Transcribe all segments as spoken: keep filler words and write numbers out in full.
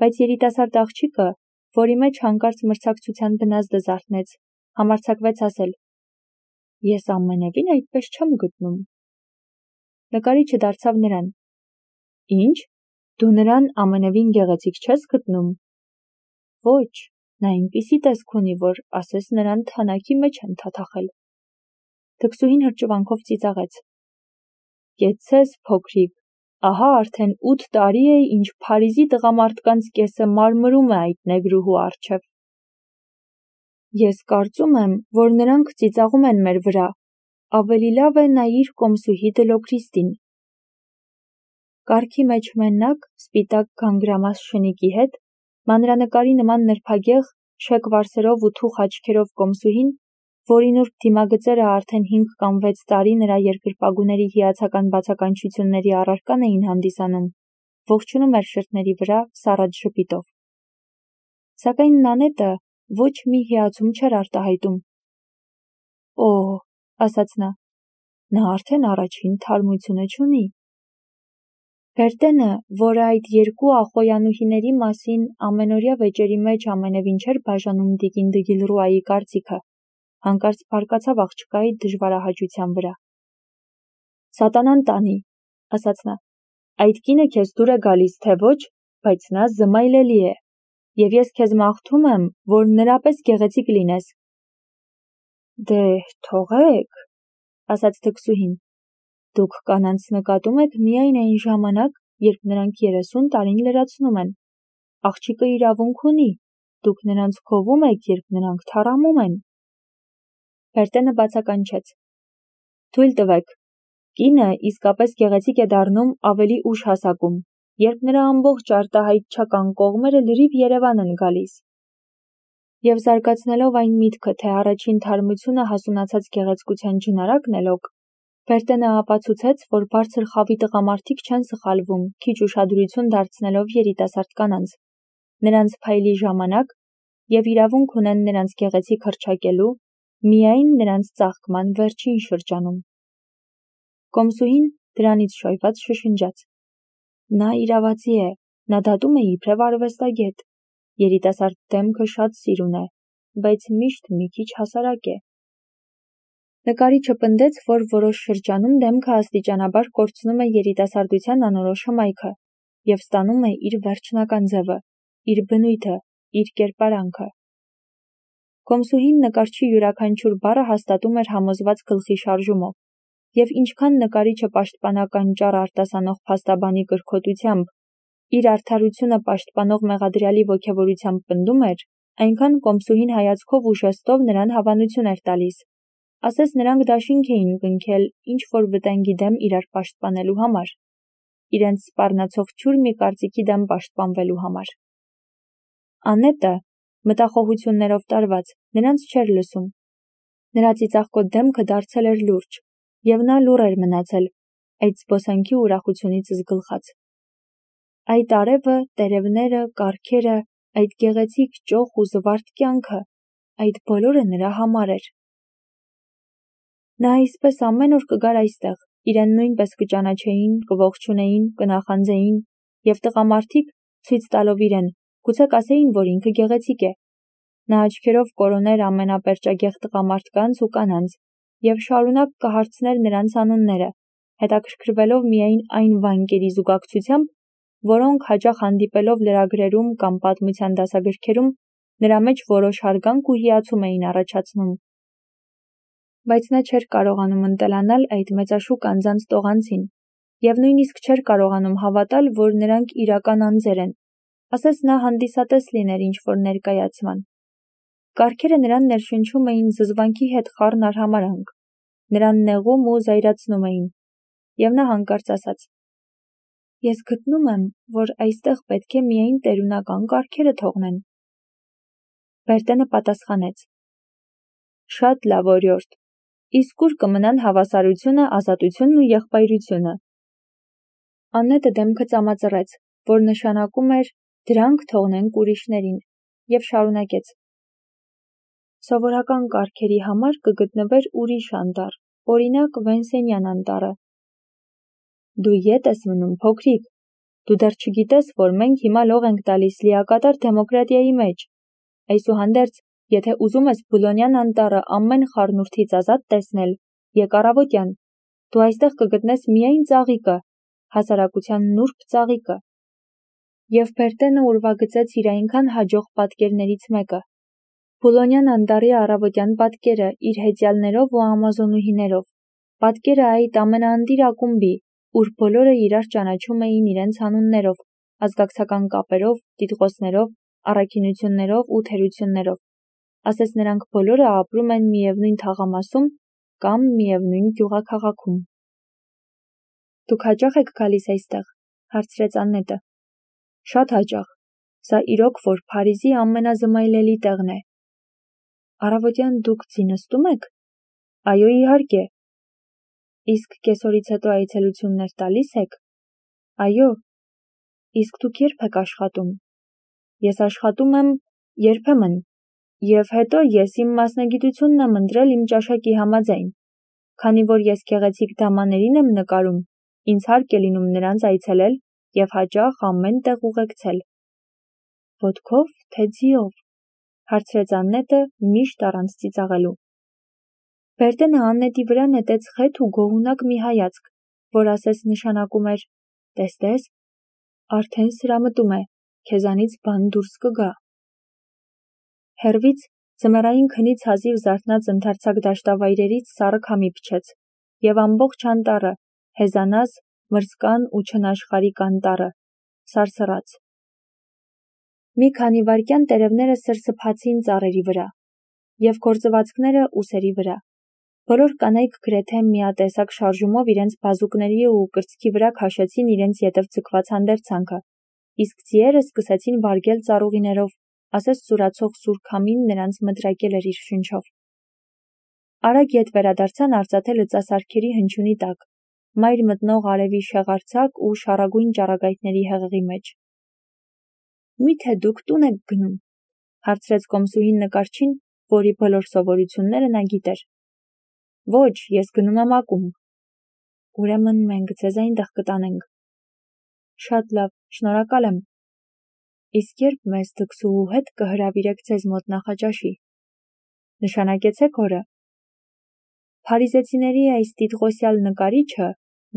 Բայց երիտասարդ աղջիկը, որի մեջ հանկարծ մրցակցության բնազդը զարթնեց, համարձակվեց ասել. «Ես ամենևին այդպես չեմ գտնում»։ Նկարիչը դարձավ նրան. «Ինչ, դու նրան ամենևին գեղեցիկ չես գտնում»։ Ոչ, նա այնպիսի տեսք ունի, որ ասես նրան թանաքի մեջ են թաթախել։ Թքսուհին հրճվանքով ծիծաղեց. «Կեցցես, փոքրիկ, ահա արդեն ութ տարի է, ինչ Փարիզի տղամարդկանց կեսը մարմրում է այդ նեգրուհու առջև»։ Ես կարծում եմ, որ նրանք ծիծաղում են մեր վրա, ավելի լավ է նայիր կոմսուհի Դլոկրիստին։ Կառքի մեջ մենակ, սպիտակ գանգրամաս շնիկի հետ, մանրանկարի նման նրբագեղ, շեկ վարսերով ու թուխ աչքերով կոմսուհին, որի նուրբ դիմագծերը արդեն հինգ կամ վեց տարի նրա երկրպագուների հիացական բացականչությունների առարկան էին հանդիսանում, ողջունում էր շրթների վրա սառած ժպիտով։ Սակայն Նանետը ոչ մի հիացում չէր արտահայտում։ «Օ՜», ասաց նա, «նա արդեն առաջին թարմությունը չունի»։ Բերտենը, որը այդ երկու ախոյանուհիների մասին ամենօրյա վեճերի մեջ ամենևին չէր բաժանում տիկին Դգիլռուայի կարծիքը, հանկարծ բարկացավ աղջկայի դժվարահաճության վրա։ «Սատանան տանի», ասաց նա, «այդ կինը քեզ դուր է գալիս, թե ոչ, բայց նա զմայլելի է, և ես քեզ մաղթում եմ, որ նրա պես գեղեցիկ լինես»։ «Դե, թողեք», ասաց թքսուհին, «դուք կանանց նկատում եք միայն այն ժամանակ, երբ նրանք երեսուն տարին լրացնում են։ Աղջիկը իրավունք ունի, դուք նրանց գովում եք, երբ նրանք թառամում են»։ Բերտենը բացականչեց. «Թույլ տվեք, կինը իսկապես գեղեցիկ է դառնում ավելի ուշ հասակում, երբ նրա ամբողջ արտահայտչական կողմերը լրիվ երևան են գալիս»։ Եվ զարգացնելով այն միտքը, թե առաջին թարմությունը հասունացած գեղեցկության ջնարակն է լոկ, Բերտենը ապացուցեց, որ բարձր խավի տղամարդիկ չեն սխալվում, քիչ ուշադրություն դարձնելով երիտասարդ կանանց, նրանց փայլի ժամանակ և իրավունք ունեն նրանց գեղեցիկ հռչակելու միայն նրանց ծաղկման վերջին շրջանում։ Կոմսուհին դրանից շոյված շշնջաց. «Նա իրավացի է, նա դատում է իբրև արվեստագետ, երիտասարդ դեմքը շատ սիրուն է, բայց միշտ մի քիչ հասարակ է»։ Նկարիչը պնդեց, որ որոշ շրջանում դեմքը աստիճանաբար կորցնում է երիտասարդության անորոշ հմայքը և ստանում է իր վերջնական ձևը, իր բնույթը, իր կերպարանքը։ Կոմսուհին նկարչի յուրաքանչյուր բառը հաստատում էր համոզված գլխի շարժումով, և ինչքան նկարիչը պաշտպանական ճառ արտասանող փաստաբանի կրքոտությամբ, իր արդարությունը պաշտպանող մեղադրյալի ոգևորությամբ պնդում էր, այնքան կոմսուհին հայացքով ու ժեստով նրան հավանություն էր տալիս, ասես նրանք դաշինք էին կնքել ինչ-որ վտանգի դեմ իրար պաշտպանելու համար, իրենց սպառնացող թյուր մի կարծիքի դեմ պաշտպանվելու համար։ Անետը, մտախոհություններով տարված, նրանց չէր լսում։ Նրա ծիծաղկոտ դեմքը դարձել էր լուրջ, և նա լուռ էր մնացել, այդ զբոսանքի ուրախությունից զգլխած։ Այդ արևը, տերևները, կառքերը, այդ գեղեցիկ ճոխ ու զվարթ կյանքը, այդ բոլորը նրա համար էր։ Նա այսպես ամեն օր կգար այստեղ, իրեն նույնպես կճանաչեին, կողջունեին, կնախանձեին, և տղամարդիկ, ցույց տալով իրեն, գուցե կասեին, որ ինքը գեղեցիկ է։ Նա աչքերով կորոներ ամենապերճագեղ տղամարդկանց ու կանանց և շարունակ կհարցներ նրանց անունները, հետաքրքրվելով միայն այն վանկերի զուգակցությամբ, որոնք հաճախ հանդիպելով լրագրերում կամ պատմության դասագրքերում նրա մեջ որոշ հարգանք ու հիացում էին առաջացնում։ Բայց նա չէր կարողանում ընտելանալ այդ մեծաշուկ անձանց տողանցին և նույնիսկ չէր կարողանում հավատալ, որ նրանք իրական անձեր են, ասես նա հանդիսատես լիներ ինչ-որ ներկայացման։ Կառքերը նրան ներշնչում էին զզվանքի հետ խառն արհամարհանք, նրան նեղում ու զայրացնում էին, և նա հանկարծ ասաց. «Ես գտնում եմ, որ այստեղ պետք է միայն տերունական կառքերը թողնեն»։ Բերտենը պատասխանեց. «Շատ լավ օրիորդ, իսկ ուր կմնան հավասարությունը, ազատությունն ու եղբայրությունը»։ Անետը դեմքը ծամածռեց, որ նշանակում էր «դրանք թողնենք ուրիշներին», և շարունակեց. «Սովորական կառքերի համար կգտնվեր ուրիշ անտառ, օրինակ Վենսենյան անտառը»։ «Դու ետ ես մնում, փոքրիկ, Դու դեռ չգիտես, որ մենք հիմա լող ենք տալիս լիակատար դեմոկրատիայի մեջ։ Այսուհանդերձ, եթե ուզում ես Բուլոնյան անտառը ամեն խառնուրդից ազատ տեսնել, եկ առավոտյան, դու այստեղ կգտնես միայն ծաղիկը, հասարակության նուրբ ծաղիկը։ Եվ Բերտենը ուրվագծեց իր այնքան հաջող պատկերներից մեկը։ Բուլոնյան անտառի առավոտյան պատկերը իր հեծյալներով ու ամազոնուհիներով, պատկերը այդ ամենաընտիր ակումբի, ուր բոլորը իրար ճանաչում էին իրենց անուններով, ազգակցական կապերով, տիտղոսներով, առաքինություններով ու թերություններով, ասես նրանք բոլորը ապրում են միևնույն թաղամասում կամ միևնույն գյուղաքաղաքում։ Դուք հաճախ եք գալիս այստեղ, հարցրեց Աննետը։ Շատ հաճախ, սա իրոք որ Փարիզի ամենազմայլելի տեղն է։ Առավոտյան դուք ձի նստում եք։ Այո, իհարկե։ Իսկ կեսօրից հետո այցելություններ տալիս եք։ Այո։ Իսկ դուք երբ եք աշխատում։ Ես աշխատում եմ երբեմն, և հետո ես իմ մասնագիտությունն եմ ընտրել իմ ճաշակի համաձայն, քանի որ ես գեղեցիկ դամաներին եմ նկարում, ինձ հարկ է լինում նրանց այցելել և հաճախ ամեն տեղ ուղեկցել։ Ոտքով, թե ձիով, հարցրեց Աննետը միշտ առանց ծիծաղելու։ Բերտենը Աննետի վրա նետեց խետ ու գոհունակ մի հայացք, որ ասես նշանակում էր. տեստես, արդեն սրամտում է, քեզանից բան դուրս կգա։ Հեռվից ձմեռային քնից հազիվ զարթնած ընդարձակ դաշտավայրերից սառը քամի փչեց, և ամբողջ անտառը, հեզանազ, մրսկան ու չնաշխարհիկ անտառը, սարսռաց։ Մի քանի վայրկյան տերևները սրսփացին ծառերի վրա, և գործվածքները ուսերի վրա։ Բոլոր կանայք գրեթե միատեսակ շարժումով իրենց բազուկների ու կրծքի վրա քաշեցին իրենց ետև ձգված հանդերձանքը, իսկ ձիերը սկսեցին վարգել ծառուղիներով, ասես սուրացող սուր քամին նրանց մտրակել էր իր շունչով։ Արագ ետ վերադարձան արծաթե լծասարքերի հնչյունի տակ, մայր մտնող արևի շեղարձակ ու շառագույն ճառագայթների հեղեղի մեջ։ Մի՞թե դուք տուն եք գնում, հարցրեց կոմսուհին նկարչին, որի բոլոր սովորությունները նա գիտեր։ Ոչ, ես գնում եմ ակումբ։ Ուրեմն մենք ձեզ այնտեղ կտանենք։ Շատ լավ, շնորհակալ եմ։ Իսկ երբ մեզ դքսուհու հետ կհրավիրեք ձեզ մոտ նախաճաշի։ Նշանակեցեք օրը։ Փարիզեցիների այս տիտղոսյալ նկարիչը,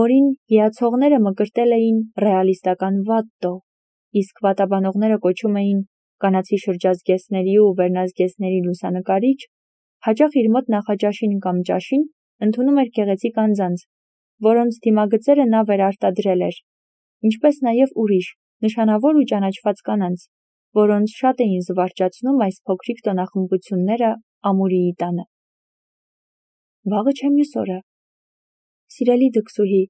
որին հիացողները մկրտել էին ռեալիստական վատտո, իսկ վատաբանողները կոչում էին կանացի շրջազգեստների ու վերնազգեստների լուսանկարիչ, հաճախ իր մոտ նախաճաշին կամ ճաշին ընդունում էր գեղեցիկ անձանց, որոնց դիմագծերը նա վերարտադրել էր, ինչպես նաև ուրիշ, նշանավոր ու ճանաչված կանանց, որոնց շատ էին զվարճացնում այս փոքրիկ տոնախմբությունները ամուրիի տանը։ Վաղը չէ մյուս օրը։ Սիրելի դքսուհի,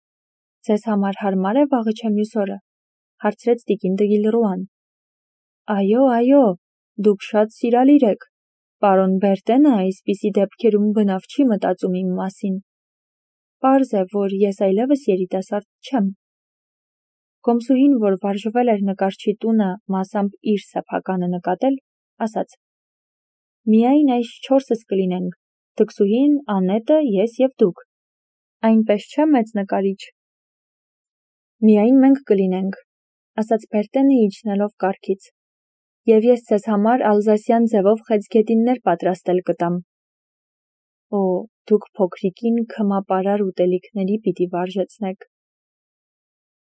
ձեզ համար հարմար է վաղը չէ մյուս օրը, հարցրեց տիկին Դգիլռուան։ Այո, այո, դուք շատ սիրալիր եք, պարոն Բերտենը այսպիսի դեպքերում բնավ չի մտածում իմ մասին։ Պարզ է, որ ես այլևս երիտասարդ չեմ։ Կոմսուհին, որ վարժվել էր նկարչի տունը մասամբ իր սեփականը նկատել, ասաց. Միայն այս չորսս կլինենք, դքսուհին, Աննետը, ես և դուք։ Այնպես չէ՞ մեծ նկարիչ։ Միայն մենք կլինենք, ասաց Բերտենը իջնելով կառքից, և ես ձեզ համար ալզասյան ձևով խեցգետիններ պատրաստել կտամ։ Օ, դուք փոքրիկին քմապարար ուտելիքների պիտի վարժեցնեք։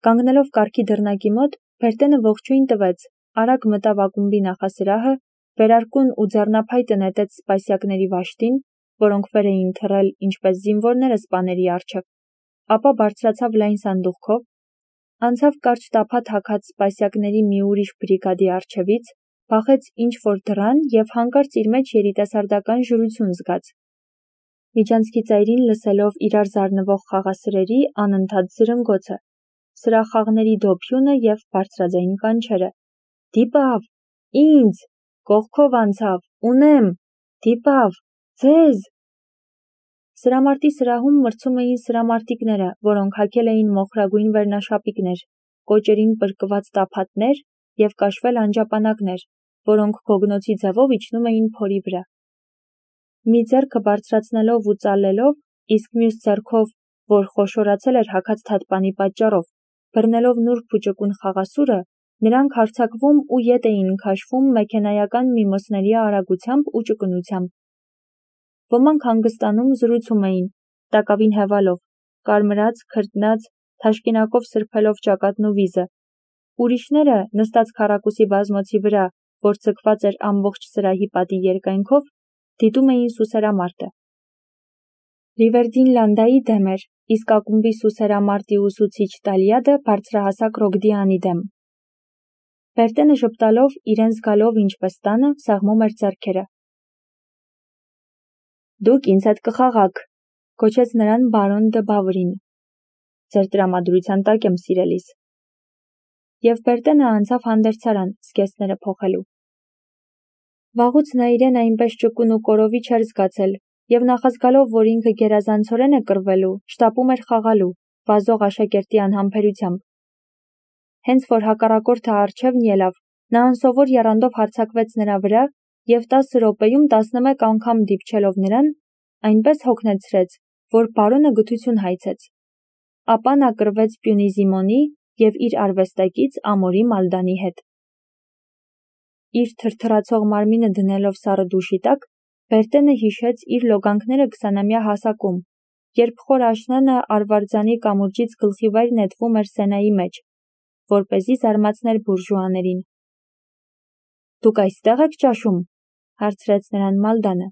Կանգնելով կառքի դռնակի մոտ, Բերտենը ողջույն տվեց, արագ մտավ ակումբի նախասրահը, վերարկուն ու ձեռնափայտը նետեց սպասյակների վաշտին, որոնք վեր էին թռել ինչպես զինվորները սպաների առջև, ապա բարձրացավ լայն սանդուղքով, անցավ կարճ տափակ հագած սպասյակների մի ուրիշ բրիգադի առջևից, փախեց ինչ-որ դռան և հանկարծ իր մեջ երիտասարդական ժուրություն զգաց։ Միջանցքի ծայրին լսելով իրար զարնվող խաղասրերի անընդհատ զրնգոցը, սրախաղների դոփյունը և բարձրաձայն կանչերը. Դիպավ, ինձ, կողքով անցավ, ունեմ, դիպավ, ձեզ։ Սրամարտի սրահում մրցում էին սրամարտիկները, որոնք հագել էին մոխրագույն վերնաշապիկներ, կոճերին պրկված տափատներ և կաշվել անջապանակներ, որոնք գոգնոցի ձևով իջնում էին փորի վրա։ Մի ձեռքը բարձրացնելով ու ծալելով, իսկ մյուս ձեռքով, որ խոշորացել էր հագած թատպանի պատճառով, բռնելով նուրբ ու ճկուն խաղասուրը, նրանք հարձակվում ու ետ էին քաշվում մեքենայական միմոսների արագությամբ ու ճկունությամբ։ Ոմանք հանգստանում զրուցում էին, տակավին հևալով, կարմրած, քրտնած, թաշկինակով սրբելով ճակատն ու վիզը։ Ուրիշները, նստած քառակուսի բազմոցի վրա, որ ձգված էր ամբողջ սրահի պատի երկայնքով, դիտում էին սուսերամարտը։ Ռիվերդին Լանդայի դեմ էր, իսկ ակումբի սուսերամարտի ուսուցիչ Տալիադը բարձրահասակ Ռոգդիանի դեմ։ Բերտենը ժպտալով, իրեն զգալով ինչպես տանը, սեղմում էր ձեռքերը։ «Դուք ինձ հետ կխաղաք», կոչեց նրան բարոն դը Բավրին։ «Ձեր տրամադրության տակ եմ, սիրելիս»։ Եվ Բերտենը անցավ հանդերձարան, զգեստները փոխելու։ Վաղուց նա իրեն այնպես ճկուն ու կորովի չէր զգացել, և նախազգալով, որ ինքը գերազանցորեն է կռվելու, շտապում էր խաղալու, վազող աշակերտի անհամբերությամբ։ Հենց որ հակառակորդը առջևն ելավ, նա անսովոր եռանդով հարձակվեց նրա վրա և տասը րոպեում տասնմեկ անգամ դիպչելով նրան, այնպես հոգնեցրեց, որ բարոնը գթություն հայցեց։ Ապա նա կռվեց Պյունիզիմոնի և իր արվեստակից Ամորի Մալդանի հետ։ Իր թրթռացող մարմինը դնելով սառը դուշի տակ, Բերտենը հիշեց իր լոգանքները քսանամյա հասակում, երբ խոր աշնանը արվարձանի կամուրջից գլխիվայր նետվում էր Սենայի մեջ, որպեսզի զարմացներ բուրժուաներին։ «Դուք այստեղ եք ճաշում», հարցրեց նրան Մալդանը։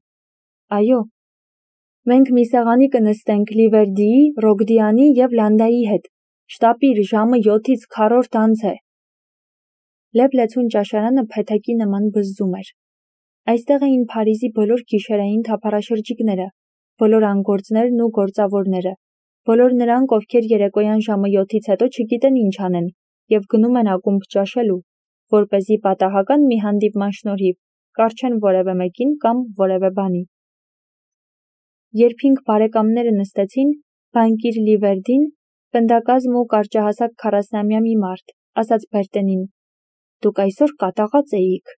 «Այո»։ «Մենք մի սեղանի կնստենք Լիվերդիի, Ռոգդիանի և Լանդայի հետ։ Շտապիր, ժամը յոթից քառորդ անց է»։ Լեփ-լեցուն ճաշարանը փեթակի նման բզզում էր։ Այստեղ էին Փարիզի բոլոր գիշերային թափառաշրջիկները, բոլոր անգործներն ու գործավորները, բոլոր նրանք, ովքեր երեկոյան ժամը յոթից հետո չգիտեն ինչ անեն և գնում են ակումբ ճաշելու, որպեսզի պատահական մի հանդիպման շնորհիվ կառչեն որևէ մեկին կամ որևէ բանի։ Երբ հինգ բարեկամները նստեցին, բանկիր Լիվերդին, պնդակազմ ու կարճահասակ քառասնամյա մի մարդ, ասաց Բերտենին. «Դուք այսօր կատաղած էիք»։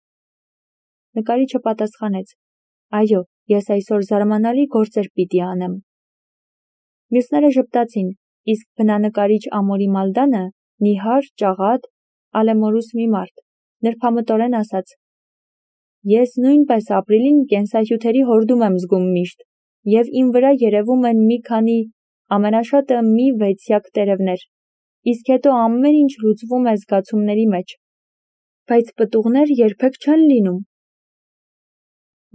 Նկարիչը պատասխանեց. «Այո, ես այսօր զարմանալի գործեր պիտի անեմ»։ Մյուսները ժպտացին, իսկ բնանկարիչ Ամորի Մալդանը, նիհար, ճաղատ, ալեմորուս մի մարդ, նրբամտորեն ասաց. «Ես նույնպես ապրիլին կենսահյութերի հորդում եմ զգում միշտ, և իմ վրա երևում են մի քանի, ամենաշատը մի վեցյակ տերևներ, իսկ հետո ամեն ինչ լուծվում է զգացումների մեջ։ Բայց պտուղներ երբեք չեն լինում»։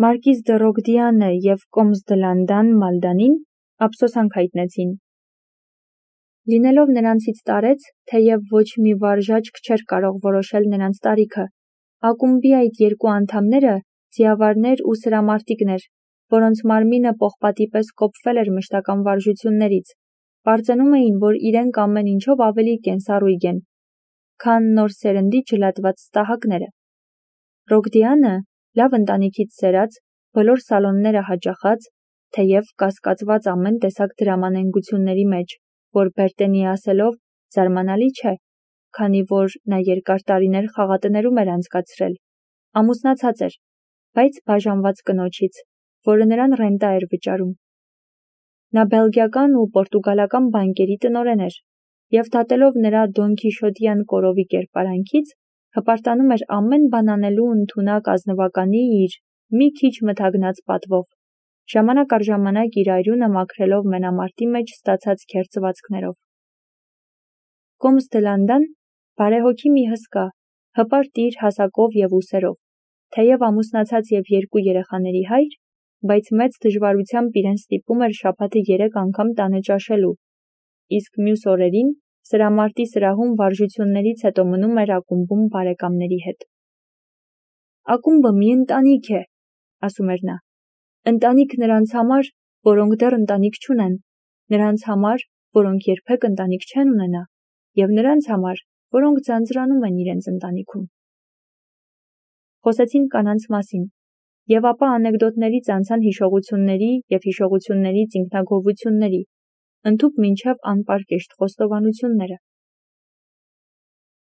Մարկիզ դը Ռոգդիանը և կոմս դը Լանդան Մալդանին ափսոսանք հայտնեցին։ Լինելով նրանցից տարեց, թեև ոչ մի վարժաճկ չէր կարող որոշել նրանց տարիքը, ակումբի այդ երկու անդամները, ձիավարներ ու սրամարտիկներ, որոնց մարմինը պողպատի պես կոփվել էր մշտական վարժություններից, պարծենում էին, որ իրենք ամեն ինչով ավելի կենսառույգ են, քան նոր սերնդի ջլատված ստահակները։ Ռոգդիանը, լավ ընտանիքից սերած, բոլոր սալոնները հաճախած, թեև կասկածված ամեն տեսակ դրամանենգությունների մեջ, որ Բերտենի ասելով զարմանալի չէ, քանի որ նա երկար տարիներ խաղատներում էր անցկացրել, ամուսնացած էր, բայց բաժանված կնոջից, որը նրան ռենտա էր վճարում։ Նա բելգիական ու պորտուգալական բանկերի տնօրեն էր, և դատելով նրա դոնքիշոտյան կորովի կերպարանքից, հպարտանում էր ամեն բան անելու ընդունակ ազնվականի իր մի քիչ մթագնած պատվով, ժամանակ առ ժամանակ իր այրունը մաքրելով մենամարտի մեջ ստացած քերծվածքներով։ Կոմս դը Լանդան բարեհոգի մի հսկա, հպարտ իր հասակով և ուսերով, թեև ամուսնացած և երկու երեխաների հայր, բայց մեծ դժվարությամբ իրեն ստիպում էր շաբաթը երեք անգամ տանը ճաշելու, իսկ մյուս օրերին սրամարտի սրահում վարժություններից հետո մնում էր ակումբում բարեկամների հետ։ «Ակումբը մի ընտանիք է», ասում էր նա։ «Ընտանիք նրանց համար, որոնք դեռ ընտանիք չունեն, նրանց համար, որոնք երբեք ընտանիք չեն ունենա, և նրանց համար, որոնք ձանձրանում են իրենց ընտանիքում»։ Խոսեցին կանանց մասին, և ապա անեկդոտներից անցան հիշողությունների և հիշողություններից ինքնագոհությունների, ընդհուպ մինչև անպարկեշտ խոստովանությունները։